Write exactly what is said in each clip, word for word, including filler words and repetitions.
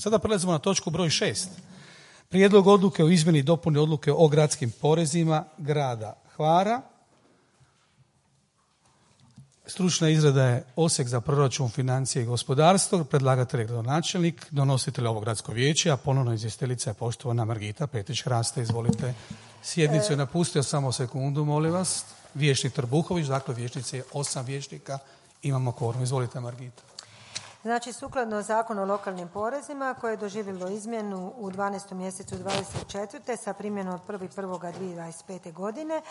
Sada prelazimo na točku broj šest. Prijedlog odluke o izmjeni i dopuni odluke o gradskim porezima grada Hvara. Stručna izrada je Odsjek za proračun, financije i gospodarstvo. Predlagatelj je gradonačelnik, donositelj ovo gradsko vijeće, a ponovno izvjestiteljica je poštovana Margita Petrić-Hraste. Izvolite. Sjednicu je napustio, samo sekundu, molim vas. Vijećnik Trbuhović, dakle vijećnici je osam vijećnika. Imamo kvorum. Izvolite, Margita. Znači, sukladno Zakonu o lokalnim porezima koje je doživjelo izmjenu u dvanaestom mjesecu dvadeset četvrte sa primjenom od prvog prvog dvije tisuće dvadeset pete. godine,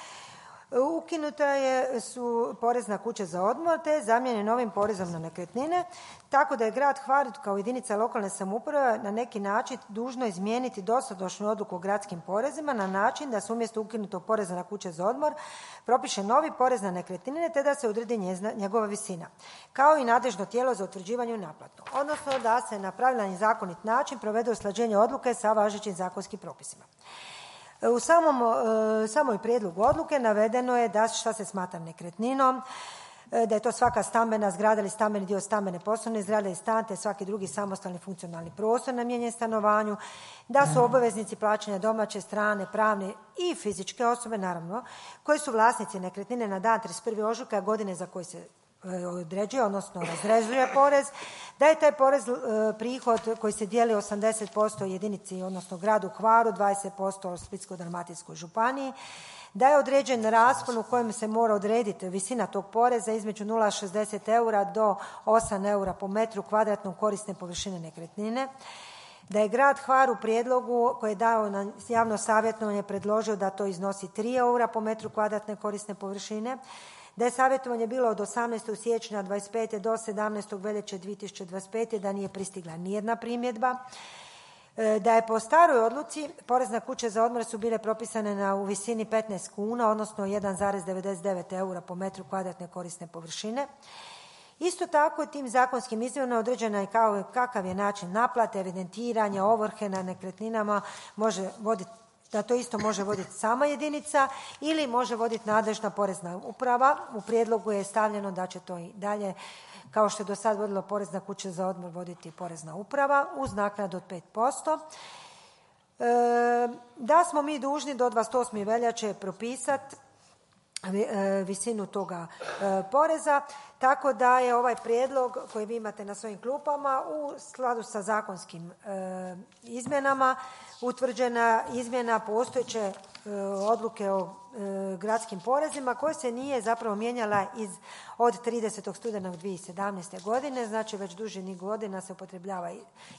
ukinuta je su porez na kuće za odmor te zamijenjen novim porezom na nekretnine, tako da je grad Hvar kao jedinica lokalne samouprave na neki način dužno izmijeniti dosadašnju odluku o gradskim porezima na način da se umjesto ukinutog poreza na kuće za odmor propiše novi porez na nekretnine te da se odredi njegova visina, kao i nadležno tijelo za utvrđivanje i naplatu, odnosno da se na pravilan i zakonit način provede usklađenje odluke sa važećim zakonskim propisima. U samom, samoj prijedlogu odluke navedeno je da šta se smatra nekretninom, da je to svaka stambena zgrada ili stambeni dio stambene poslovne zgrade i stan te svaki drugi samostalni funkcionalni prostor namijenjen stanovanju, da su obaveznici plaćanja domaće, strane, pravne i fizičke osobe, naravno, koji su vlasnici nekretnine na dan trideset prvog ožujka godine za koji se određuje, odnosno razrezuje porez, da je taj porez e, prihod koji se dijeli osamdeset posto jedinici, odnosno gradu Hvaru, dvadeset posto Splitsko-dalmatinskoj županiji, da je određen raspon u kojem se mora odrediti visina tog poreza između nula zarez šezdeset eura do osam eura po metru kvadratnom korisne površine nekretnine, da je grad Hvar u prijedlogu koji je dao na javno savjetovanje predložio da to iznosi tri eura po metru kvadratne korisne površine, da je savjetovanje bilo od osamnaestog siječnja dvadeset pete do sedamnaestog veljače dvije tisuće dvadeset pete. da nije pristigla nijedna primjedba, da je po staroj odluci porez na kuće za odmor su bile propisane na, u visini petnaest kuna, odnosno jedan zarez devedeset devet eura po metru kvadratne korisne površine. Isto tako tim zakonskim izmjenama određena je kao, kakav je način naplate, evidentiranja, ovrhe na nekretninama može voditi, da to isto može voditi sama jedinica ili može voditi nadležna porezna uprava. U prijedlogu je stavljeno da će to i dalje, kao što je do sad vodilo porez na kuće za odmor, voditi porezna uprava uz naknadu od pet posto. E, da smo mi dužni do dvadeset osme veljače propisati visinu toga e, poreza, tako da je ovaj prijedlog koji vi imate na svojim klupama u skladu sa zakonskim e, izmjenama utvrđena izmjena postojeće e, odluke o e, gradskim porezima koja se nije zapravo mijenjala iz, od tridesetog studenog dvije tisuće sedamnaeste. godine, znači već duži niz godina se upotrebljava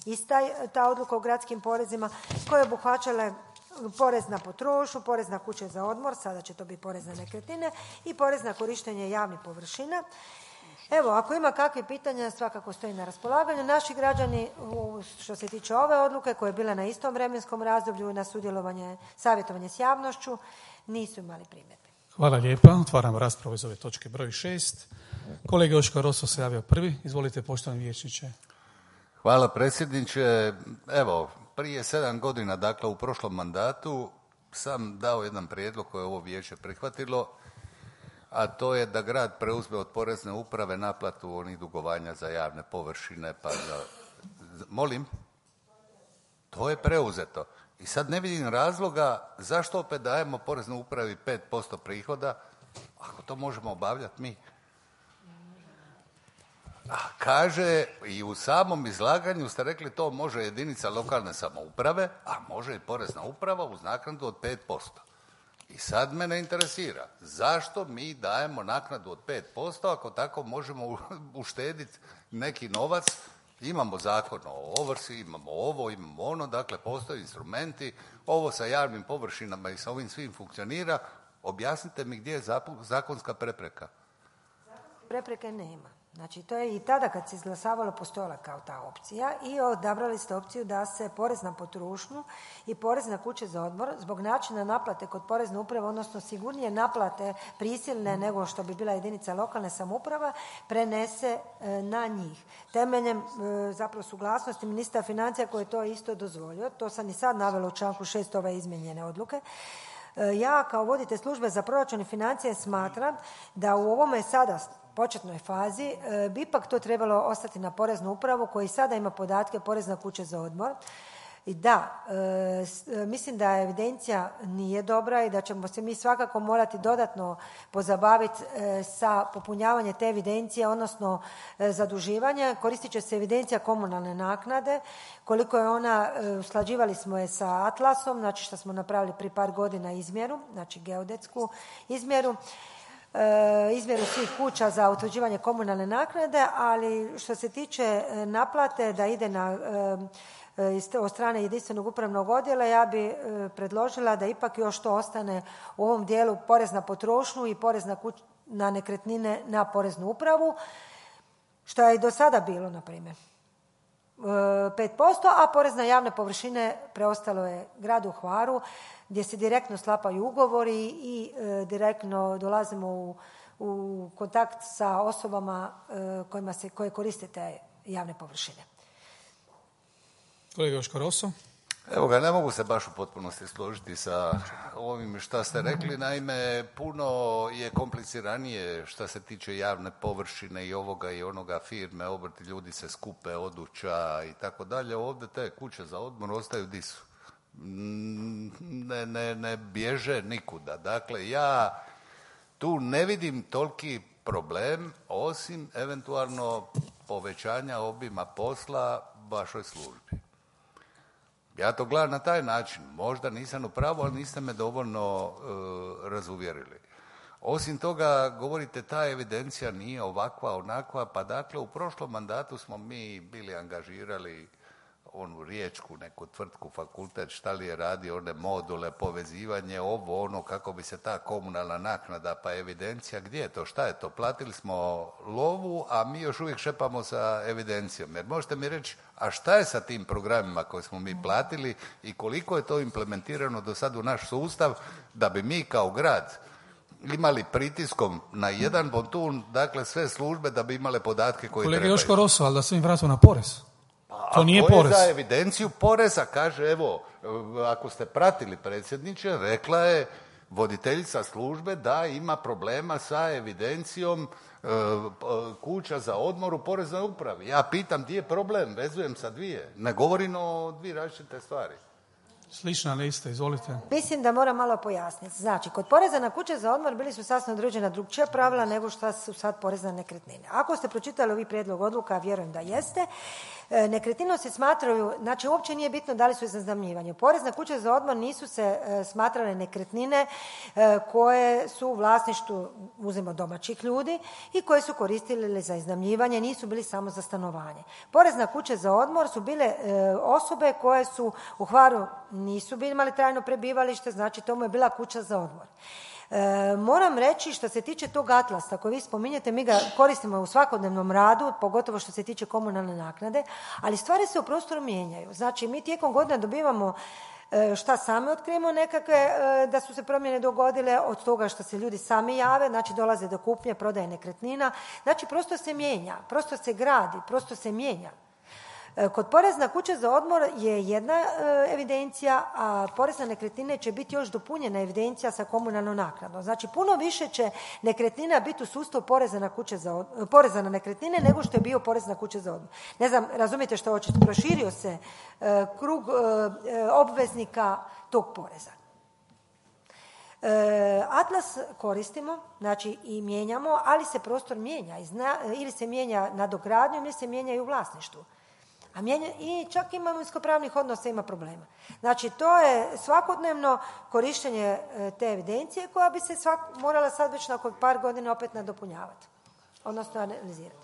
ista ta odluka o gradskim porezima koja je obuhvaćala porez na potrošnju, porez na kuće za odmor, sada će to biti porez na nekretnine i porez na korištenje javnih površina. Evo, ako ima kakve pitanja, svakako stoji na raspolaganju. Naši građani, što se tiče ove odluke, koje je bila na istom vremenskom razdoblju na sudjelovanje, savjetovanje s javnošću, nisu imali primjedbe. Hvala lijepa. Otvaramo raspravu iz ove točke broj šest. Kolega Joško Roso se javio prvi. Izvolite, poštovani vijećniče. Hvala predsjedniče. Evo, prije sedam godina, dakle u prošlom mandatu, sam dao jedan prijedlog koje je ovo vijeće prihvatilo, a to je da grad preuzme od porezne uprave naplatu onih dugovanja za javne površine, pa za... Molim? To je preuzeto. I sad ne vidim razloga zašto opet dajemo poreznoj upravi pet posto prihoda, ako to možemo obavljati mi. A kaže, i u samom izlaganju ste rekli to može jedinica lokalne samouprave, a može i porezna uprava uz naknadu od pet posto. I sad mene interesira, zašto mi dajemo naknadu od pet posto ako tako možemo uštediti neki novac? Imamo zakon o ovrsi, imamo ovo, imamo ono, dakle postoje instrumenti, ovo sa javnim površinama i sa ovim svim funkcionira. Objasnite mi gdje je zakonska prepreka. Prepreke nema. Znači, to je i tada kad se izglasavalo postojala kao ta opcija i odabrali ste opciju da se porez na potrošnju i porez na kuće za odmor zbog načina naplate kod porezne uprave, odnosno sigurnije naplate prisilne nego što bi bila jedinica lokalne samouprave, prenese e, na njih. Temeljem e, zapravo suglasnosti ministra financija koji je to isto dozvolio, to sam i sad navela u članku šest ove izmijenjene odluke. Ja kao voditelj službe za proračun i financije smatram da u ovome sada početnoj fazi bi ipak to trebalo ostati na Poreznu upravu koji sada ima podatke Porezna kuća za odmor. I da, e, mislim da evidencija nije dobra i da ćemo se mi svakako morati dodatno pozabaviti e, sa popunjavanjem te evidencije, odnosno e, zaduživanje. Koristit će se evidencija komunalne naknade, koliko je ona, e, usklađivali smo je sa Atlasom, znači što smo napravili prije par godina izmjeru, znači geodetsku izmjeru. E, izmjeru svih kuća za utvrđivanje komunalne naknade, ali što se tiče naplate da ide na e, od strane jedinstvenog upravnog odjela, ja bi e, predložila da ipak još to ostane u ovom dijelu porez na potrošnju i porez na, kuć, na nekretnine na Poreznu upravu, što je i do sada bilo, na primjer, e, pet posto, a porez na javne površine preostalo je gradu Hvaru, gdje se direktno sklapaju ugovori i e, direktno dolazimo u, u kontakt sa osobama e, kojima se, koje koriste te javne površine. Kolega Joško Roso. Evo ga, ne mogu se baš u potpunosti složiti sa ovim što ste rekli. Naime, puno je kompliciranije što se tiče javne površine i ovoga i onoga, firme, obrti, ljudi se skupe, oduća i tako dalje. Ovdje te kuće za odmor ostaju di su. Ne, ne, ne bježe nikuda. Dakle, ja tu ne vidim toliki problem, osim eventualno povećanja obima posla vašoj službi. Ja to gledam na taj način. Možda nisam u pravu, ali niste me dovoljno uh, razuvjerili. Osim toga, govorite ta evidencija nije ovakva, onakva, pa dakle u prošlom mandatu smo mi bili angažirali onu riječku neku tvrtku, fakultet, šta li je radio, one module, povezivanje, ovo, ono, kako bi se ta komunalna naknada, pa evidencija, gdje je to, šta je to? Platili smo lovu, a mi još uvijek šepamo sa evidencijom. Jer možete mi reći, a šta je sa tim programima koje smo mi platili i koliko je to implementirano do sad u naš sustav da bi mi kao grad imali pritiskom na jedan bontun, dakle sve službe da bi imale podatke koje Kolega trebaju. Joško Roso, ali da se im vratimo na porez. A to nije porez. porez. Za evidenciju poreza, kaže, evo, ako ste pratili predsjedniče, rekla je voditeljica službe da ima problema sa evidencijom e, kuća za odmor u Poreznoj upravi. Ja pitam gdje je problem, vezujem sa dvije. Ne govorim o dvije različite stvari. Slična lista, izvolite. Mislim da moram malo pojasniti. Znači, kod poreza na kuće za odmor bili su sasvim određena drugčija pravila nego što su sad porez na nekretnine. Ako ste pročitali ovi prijedlog odluka, vjerujem da jeste, nekretninom se smatraju, znači uopće nije bitno da li su za iznajmljivanje. Porez na kuće za odmor nisu se smatrale nekretnine koje su u vlasništvu, uzmimo, domaćih ljudi i koje su koristili za iznajmljivanje, nisu bili samo za stanovanje. Porez na kuće za odmor su bile osobe koje su u Hvaru nisu bili imali trajno prebivalište, znači to mu je bila kuća za odmor. E, moram reći što se tiče tog atlasa koji vi spominjete, mi ga koristimo u svakodnevnom radu, pogotovo što se tiče komunalne naknade, ali stvari se u prostoru mijenjaju. Znači mi tijekom godina dobivamo e, šta sami otkrijemo nekakve, e, da su se promjene dogodile od toga što se ljudi sami jave, znači dolaze do kupnje, prodaje nekretnina, znači prostor se mijenja, prostor se gradi, prostor se mijenja. Kod poreza na kuće za odmor je jedna e, evidencija, a porez na nekretnine će biti još dopunjena evidencija sa komunalnom naknadom. Znači puno više će nekretnina biti u sustavu poreza na, kuće za od, poreza na nekretnine nego što je bio porez na kuće za odmor. Ne znam, razumijete što hoćete, proširio se e, krug e, obveznika tog poreza. E, Atlas koristimo, znači i mijenjamo, ali se prostor mijenja izna, ili se mijenja nadogradnjom ili se mijenja i u vlasništvu. A mijenja, i čak imovinsko-pravnih odnosa ima problema. Znači, to je svakodnevno korištenje te evidencije koja bi se svak, morala sad već nakon par godina opet nadopunjavati, odnosno analizirati.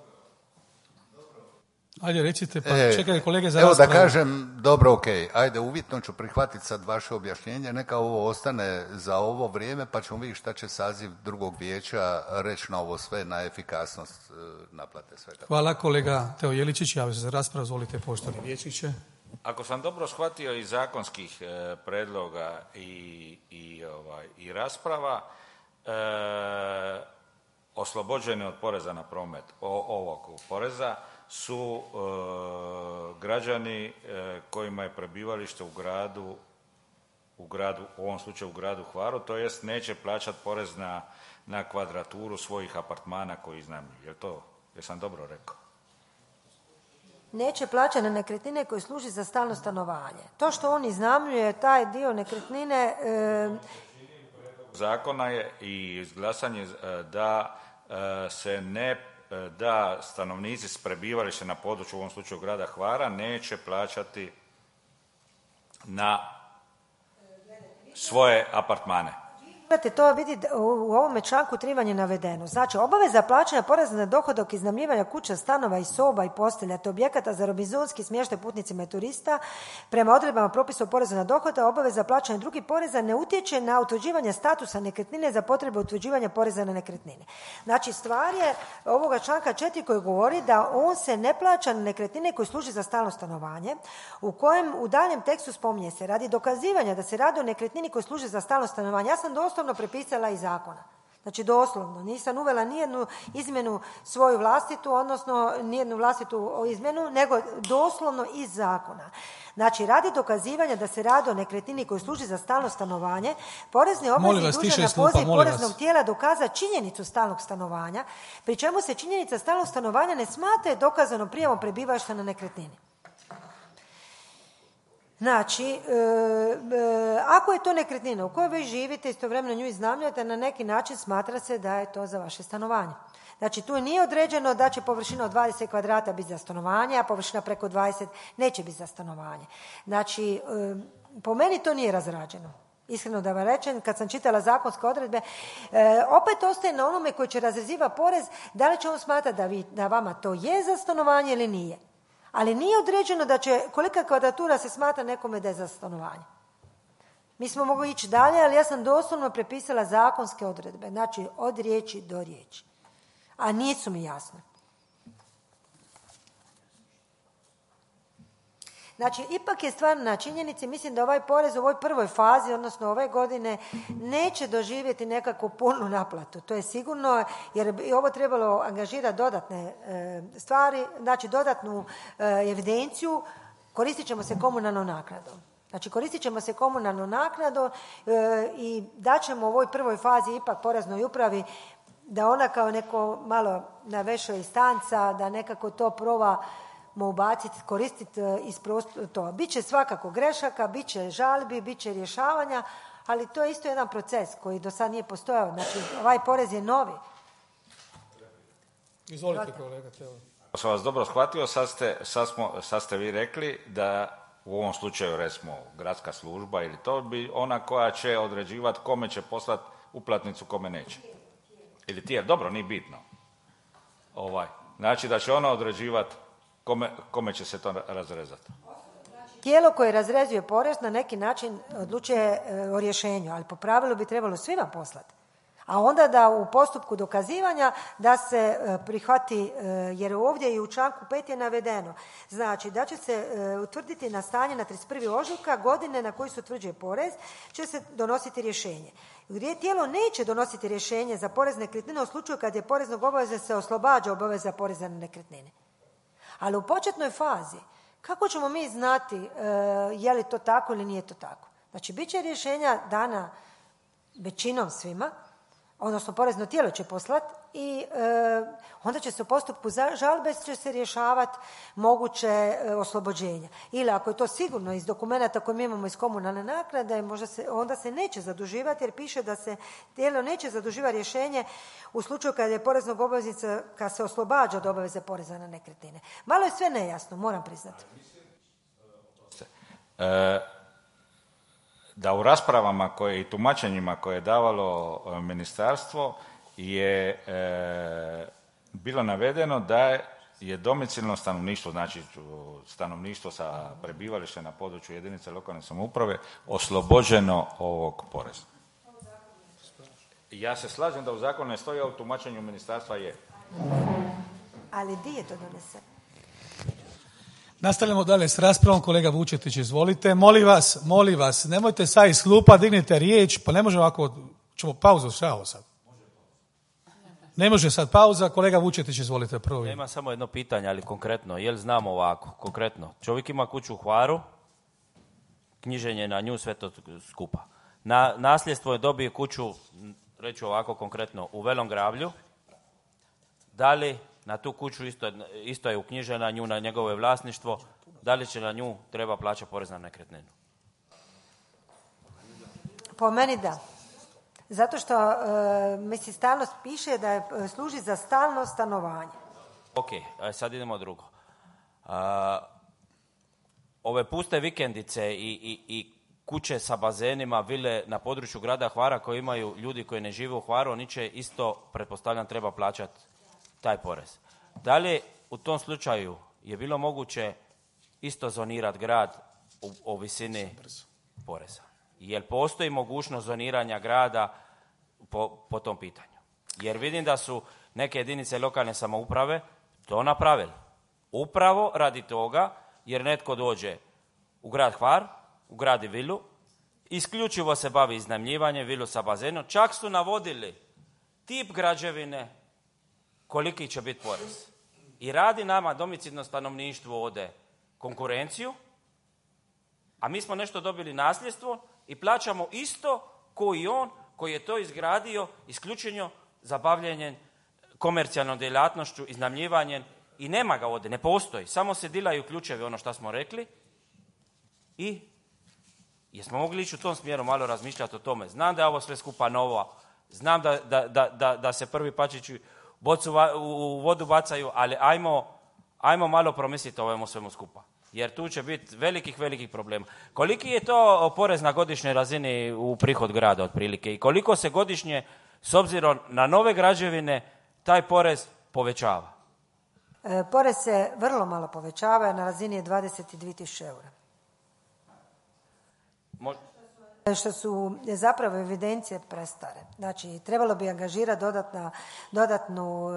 Ajde, recite, pa e, čekaj kolege za evo raspravu. da kažem, dobro, ok, ajde, uvjetno ću prihvatiti sad vaše objašnjenje, neka ovo ostane za ovo vrijeme, pa ćemo vidjeti šta će saziv drugog vijeća reći na ovo sve, na efikasnost naplate svega. Hvala, kolega Teo Jeličić, javio se za raspravu, zvolite poštovani vijećniče. Ako sam dobro shvatio iz zakonskih e, predloga i, i, ovaj, i rasprava, e, oslobođeni od poreza na promet, o, ovog poreza, su e, građani e, kojima je prebivalište u gradu u gradu, u ovom slučaju u gradu Hvaru, to jest neće plaćati porez na, na kvadraturu svojih apartmana koji iznajmljuju. Je to, jesam dobro rekao? Neće plaćati na nekretnine koje služi za stalno stanovanje. To što on iznajmljuje taj dio nekretnine... E... Zakona je i izglasanje da se ne da stanovnici s prebivalištem na području, u ovom slučaju grada Hvara, neće plaćati na svoje apartmane. Morate to vidjeti, u ovome članku tri vam je navedeno. Znači, obaveza plaćanja poreza na dohodak iznajmljivanja kuća, stanova i soba i postelja te objekata za robinzonski smještaj putnicima i turista prema odredbama propisa o porezu na dohodak, obaveza plaćanja drugih poreza ne utječe na utvrđivanje statusa nekretnine za potrebe utvrđivanja poreza na nekretnine. Znači, stvar je ovoga članka četiri koji govori da on se ne plaća na nekretnine koji služi za stalno stanovanje, u kojem u daljem tekstu spominje se radi dokazivanja da se radi o nekretnini koji služi za stalno stanovanje. Ja sam doslovno prepisala iz zakona. Znači doslovno. Nisam uvela nijednu izmjenu svoju vlastitu, odnosno nijednu vlastitu izmjenu, nego doslovno iz zakona. Znači, radi dokazivanja da se radi o nekretnini koji služi za stalno stanovanje, porezni obveznik dužan na poziv poreznog tijela dokaza činjenicu stalnog stanovanja, pri čemu se činjenica stalnog stanovanja ne smatra dokazanom prijavom prebivališta na nekretnini. Znači, e, e, ako je to nekretnina u kojoj vi živite, istovremeno nju iznajmljujete, na neki način smatra se da je to za vaše stanovanje. Znači, tu nije određeno da će površina od dvadeset kvadrata biti za stanovanje, a površina preko dvadeset neće biti za stanovanje. Znači, e, po meni to nije razrađeno. Iskreno da vam rečem, kad sam čitala zakonske odredbe, e, opet ostaje na onome koji će razrezivati porez, da li će on smatrati da, vi, da vama to je za stanovanje ili nije. Ali nije određeno da će, kolika kvadratura se smatra nekome da je za stanovanje. Mi smo mogli ići dalje, ali ja sam doslovno prepisala zakonske odredbe, znači od riječi do riječi. A nisu mi jasne. Znači, ipak je stvar na činjenici, mislim da ovaj porez u ovoj prvoj fazi, odnosno ove godine, neće doživjeti nekakvu punu naplatu. To je sigurno, jer bi ovo trebalo angažirati dodatne e, stvari, znači dodatnu e, evidenciju, koristit ćemo se komunalnom naknadom. Znači, koristit ćemo se komunalnom naknadom e, i daćemo u ovoj prvoj fazi ipak poreznoj upravi da ona kao neko malo na većoj instanca, da nekako to proba ubaciti, koristiti iz prostora to. Biće svakako grešaka, bit će žalbi, bit će rješavanja, ali to je isto jedan proces koji do sad nije postojao. Znači, ovaj porez je novi. Izvolite, kolega. Ako sam vas dobro shvatio, sad ste, sad, smo, sad ste vi rekli da u ovom slučaju, recimo, gradska služba ili to bi ona koja će određivati kome će poslati uplatnicu, kome neće. Ili tijelo, dobro, nije bitno. Ovaj. Znači da će ona određivati Kome, kome će se to razrezati? Tijelo koje razrezuje porez na neki način odlučuje e, o rješenju, ali po pravilu bi trebalo svima poslati. A onda da u postupku dokazivanja da se e, prihvati, e, jer ovdje i u članku pet je navedeno, znači da će se e, utvrditi na stanje na trideset prvi ožujka godine na koji se utvrđuje porez, će se donositi rješenje. Gdje tijelo neće donositi rješenje za porez nekretnine u slučaju kad je poreznog obaveza se oslobađa obaveza poreza na nekretnine. Ali u početnoj fazi, kako ćemo mi znati e, je li to tako ili nije to tako? Znači, bit će rješenja dana većinom svima, odnosno porezno tijelo će poslati i e, onda će se u postupku žalbe će se rješavati moguće e, oslobođenja. Ili ako je to sigurno iz dokumenata koje mi imamo iz komunalne naknade, možda se, onda se neće zaduživati jer piše da se tijelo neće zaduživati rješenje u slučaju kada je poreznog obveznika kad se oslobađa od obaveze poreza na nekretnine. Malo je sve nejasno, moram priznati. E, da u raspravama koje i tumačenjima koje je davalo ministarstvo je e, bilo navedeno da je domicilno stanovništvo, znači stanovništvo sa prebivalištem na području jedinice lokalne samouprave oslobođeno ovog poreza. Ja se slažem da u zakonu ne stoji, a u tumačenju ministarstva je. Ali di je to doneseno? Nastavljamo dalje s raspravom. Kolega Vučetić, izvolite. Molim vas, molim vas, nemojte sad iz klupa, dignite riječ, pa ne može ovako, ćemo pauzu, šao sad. Ne može sad pauza. Kolega Vučetić, izvolite prvo. Ja imam samo jedno pitanje, ali konkretno. Jel znamo ovako, konkretno? Čovjek ima kuću u Hvaru, knjiženje na nju, sve to skupa. Na nasljedstvo je dobio kuću, reću ovako konkretno, u Velom Gravlju. Da li na tu kuću isto, isto je uknjižena nju na njegovo vlasništvo, da li će na nju treba plaćati porez na nekretninu? Po meni da. Zato što, e, mislim, stalnost piše da je, služi za stalno stanovanje. Ok, sad idemo drugo. A, ove puste vikendice i, i, i kuće sa bazenima, vile na području grada Hvara koji imaju ljudi koji ne žive u Hvaru, oni će isto, pretpostavljam, treba plaćati taj porez. Da li u tom slučaju je bilo moguće isto zonirati grad u, u visini poreza? Jer postoji mogućnost zoniranja grada po, po tom pitanju? Jer vidim da su neke jedinice lokalne samouprave to napravili. Upravo radi toga jer netko dođe u grad Hvar, ugradi vilu, isključivo se bavi iznajmljivanjem, vilu sa bazenom, čak su navodili tip građevine, koliki će biti porez. I radi nama domicilno stanovništvo ovdje konkurenciju, a mi smo nešto dobili nasljedstvo i plaćamo isto koji on koji je to izgradio isključenjo za bavljenjem komercijalnom djelatnošću, iznajmljivanjem i nema ga ovdje, ne postoji. Samo se dilaju ključevi, ono što smo rekli. I jesmo mogli ići u tom smjeru malo razmišljati o tome. Znam da je ovo sve skupa novo, znam da, da, da, da, da se prvi pačići bocu u vodu bacaju, ali ajmo, ajmo malo promisliti o ovome svemu skupa. Jer tu će biti velikih, velikih problema. Koliki je to porez na godišnjoj razini u prihod grada otprilike i koliko se godišnje, s obzirom na nove građevine, taj porez povećava? E, porez se vrlo malo povećava, na razini je dvadeset dvije tisuće eura. Mo- Što su zapravo evidencije prestare. Znači, trebalo bi angažirati dodatna, dodatnu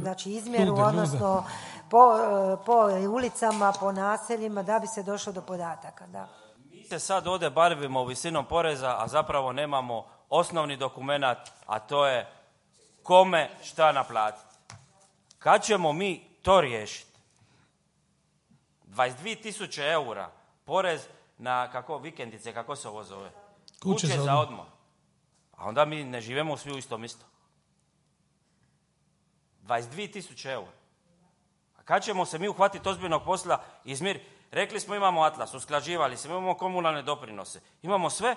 znači, izmjeru, Ljude, odnosno po, po ulicama, po naseljima, da bi se došlo do podataka. Da. Mi se sad ovdje bavimo visinom poreza, a zapravo nemamo osnovni dokumenat, a to je kome šta naplatiti. Kad ćemo mi to riješiti? dvadeset dvije tisuće eura porez na kako vikendice, kako se ovo zove? Kuće, Kuće za za odmor. odmor. A onda mi ne živimo svi u istom isto. dvadeset dvije tisuće eura. A kad ćemo se mi uhvatiti ozbiljnog posla i izmiriti? Rekli smo imamo atlas, usklađivali se, imamo komunalne doprinose, imamo sve,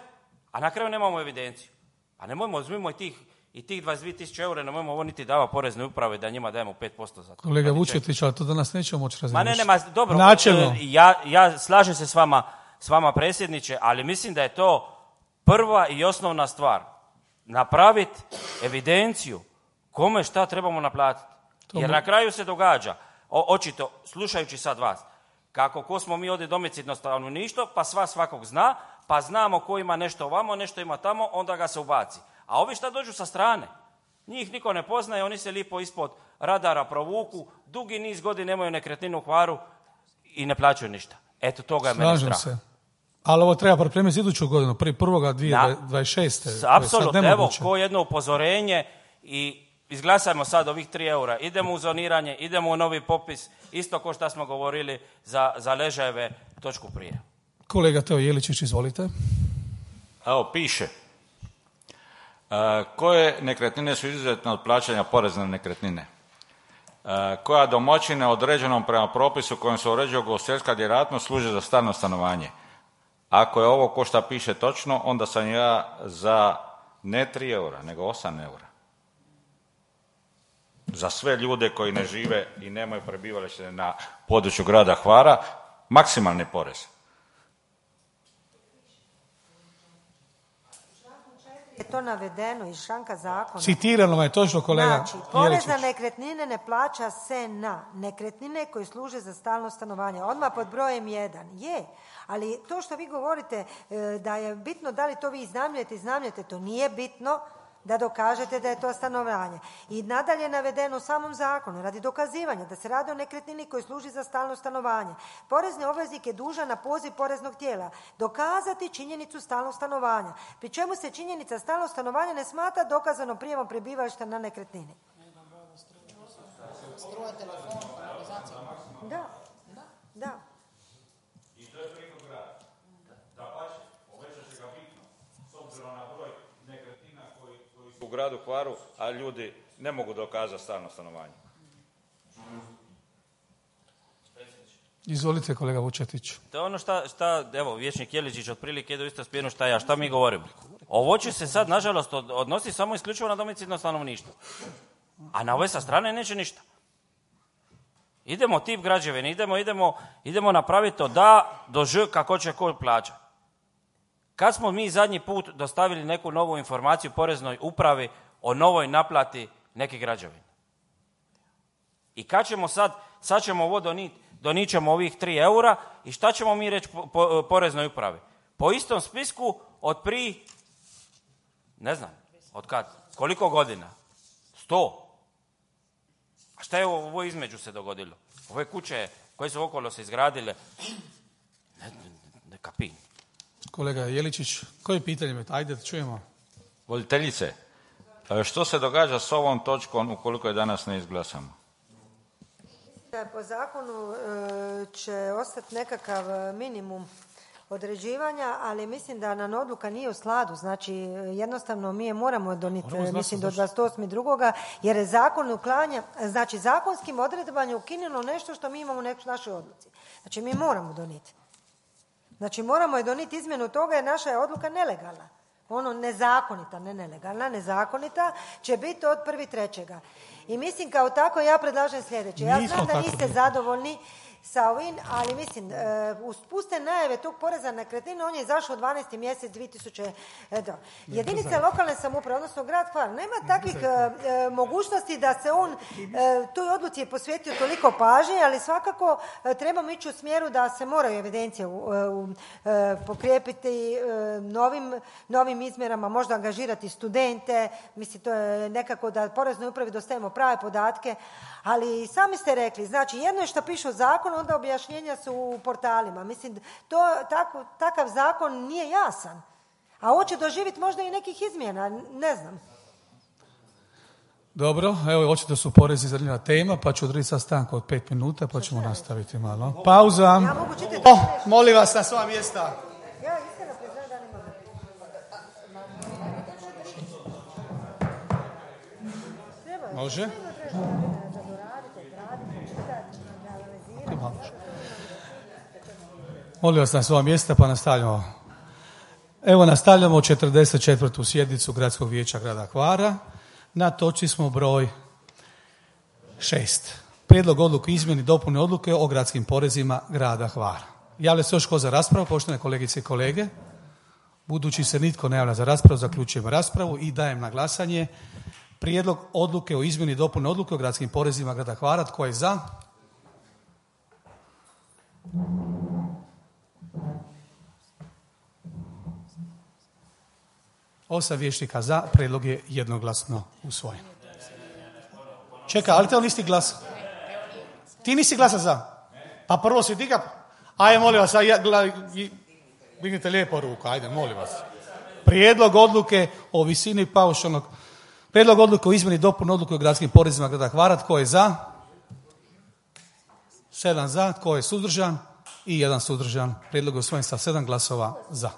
a na kraju nemamo evidenciju. A nemojmo, uzmimo i tih, i tih dvadeset dvije tisuće eura, nemojmo ovo niti dava porezne uprave da njima dajemo pet posto za to. Kolega Vučetić, ali to danas nećemo moći Ma ne, razmišljati. ne, ma dobro, Načelno. ja, ja slažem se s vama, s vama predsjedniče, ali mislim da je to prva i osnovna stvar. Napraviti evidenciju kome šta trebamo naplatiti. Jer na kraju se događa, o, očito, slušajući sad vas, kako ko smo mi ovdje domicilno stanovništvo, pa sva svakog zna, pa znamo ko ima nešto ovamo, nešto ima tamo, onda ga se ubaci. A ovi šta dođu sa strane, njih niko ne poznaje, oni se lipo ispod radara provuku, dugi niz godina nemaju nekretninu u Hvaru i ne plaćaju ništa. Eto, toga je mene strah. Slažem se. Ali ovo treba pripremiti za iduću godinu, prvi prvoga dvije tisuće dvadeset šeste. Apsolutno, evo, ko jedno upozorenje i izglasajmo sad ovih tri eura. Idemo u zoniranje, idemo u novi popis, isto ko što smo govorili za, za ležajeve točku prije. Kolega Teo Jeličić, izvolite. Evo, piše. E, koje nekretnine su izuzetne od plaćanja poreza na nekretnine? E, koja domaćina određenom prema propisu kojim se uređuje ugostiteljska djelatnost služe za stalno stanovanje? Ako je ovo ko šta piše točno, onda sam ja za ne tri eura, nego osam eura. Za sve ljude koji ne žive i nemaju prebivalište na području grada Hvara, maksimalni porez. Je to navedeno iz članka zakona. Citirano vam je točno, kolega Znači, porez Jeličić. na nekretnine ne plaća se na nekretnine koje služe za stalno stanovanje. Odmah pod brojem jedan. Je, ali to što vi govorite e, da je bitno da li to vi iznajmljujete, iznajmljujete, to nije bitno da dokažete da je to stanovanje. I nadalje je navedeno u samom zakonu radi dokazivanja da se radi o nekretnini koji služi za stalno stanovanje. Porezni obveznik je dužan na poziv poreznog tijela dokazati činjenicu stalnog stanovanja, pri čemu se činjenica stalnog stanovanja ne smatra dokazano prijemom prebivališta na nekretnini. Da, da. u gradu Hvaru, a ljudi ne mogu dokazati stalno stanovanje. Izvolite, kolega Vučetić. To je ono šta, šta evo, vijećnik Jeličić otprilike ide u isto smjeru šta ja, šta mi govorimo. Ovo će se sad, nažalost, odnosi samo isključivo na domicilno stanovništvo. A na ove sa strane neće ništa. Idemo tip građevine, idemo, idemo, idemo napraviti to da, do ž, kako će ko plaća. Kad smo mi zadnji put dostavili neku novu informaciju poreznoj upravi o novoj naplati nekih građevina? I kad ćemo sad, sad ćemo ovo doniti, donijet ćemo ovih tri eura i šta ćemo mi reći po, po, poreznoj upravi? Po istom spisku od pri, ne znam, od kad, koliko godina? Sto. A šta je ovo između se dogodilo? Ove kuće koje su okolo se izgradile, ne, ne, ne kapim. Kolega Jeličić, koje pitanje imate? Ajde da čujemo. Voditeljice, što se događa s ovom točkom ukoliko je danas ne izglasamo? Po zakonu će ostati nekakav minimum određivanja, ali mislim da nam odluka nije u sladu. Znači, jednostavno mi je moramo donijeti, mislim, do dvadeset osmog drugoga jer je zakon uklanja, znači zakonskim odredbama je ukinulo nešto što mi imamo u našoj odluci. Znači, mi moramo donijeti. Znači, moramo je donijeti izmjenu toga jer naša je odluka nelegalna. Ono nezakonita, ne nelegalna, nezakonita će biti od prvog trećega. I mislim kao tako ja predlažem sljedeće. Ja znam da niste zadovoljni sa ovim, ali mislim, uz puste najave tog poreza na nekretnine, on je izašao u dvanaesti mjesec dvije tisuće. Jedinice lokalne samouprave, odnosno grad Hvar, nema takvih e, mogućnosti da se on e, toj odluci je posvetio toliko pažnje, ali svakako e, trebamo ići u smjeru da se moraju evidencije u, u, e, pokrijepiti e, novim, novim izmjerama, možda angažirati studente, mislim, to je nekako da poreznoj upravi dostavimo prave podatke, ali sami ste rekli, znači jedno je što piše u zakonu, onda objašnjenja su u portalima. Mislim, to, tako, takav zakon nije jasan. A ovo će doživjeti možda i nekih izmjena, ne znam. Dobro, evo očito su porezi zanimljiva tema, pa ću odrediti sad stanku od pet minuta, pa ćemo nastaviti malo. Pauza. Ja mogu čitati. Oh, molim vas na svoja mjesta. Ja iskreno priznajem da ne mogu. Može? Molim vas na svoja mjesta pa nastavljamo. Evo nastavljamo četrdeset četvrtu sjednicu Gradskog vijeća grada Hvara. Na točci smo broj šest. Prijedlog odluke izmjeni dopune odluke o gradskim porezima grada Hvara. Javlja se još ko za raspravu, poštovane kolegice i kolege? Budući se nitko ne javlja za raspravu, zaključujemo raspravu i dajem na glasanje prijedlog odluke o izmjeni dopune odluke o gradskim porezima grada Hvara. Tko je za? Osam vijećnika za, prijedlog je jednoglasno usvojen. Čekaj, ali te on nisi glasa? Ti nisi glasa za? Pa prvo si diga. Ajde, molim vas, dignite lijepo ruku, ajde, molim vas. Prijedlog odluke o visini paušalnog, prijedlog odluke o izmjeni dopune odluke o gradskim porezima grada Hvara. Tko je za? Sedam za, tko je suzdržan? I jedan suzdržan. Prijedlog je usvojen sa sedam glasova za.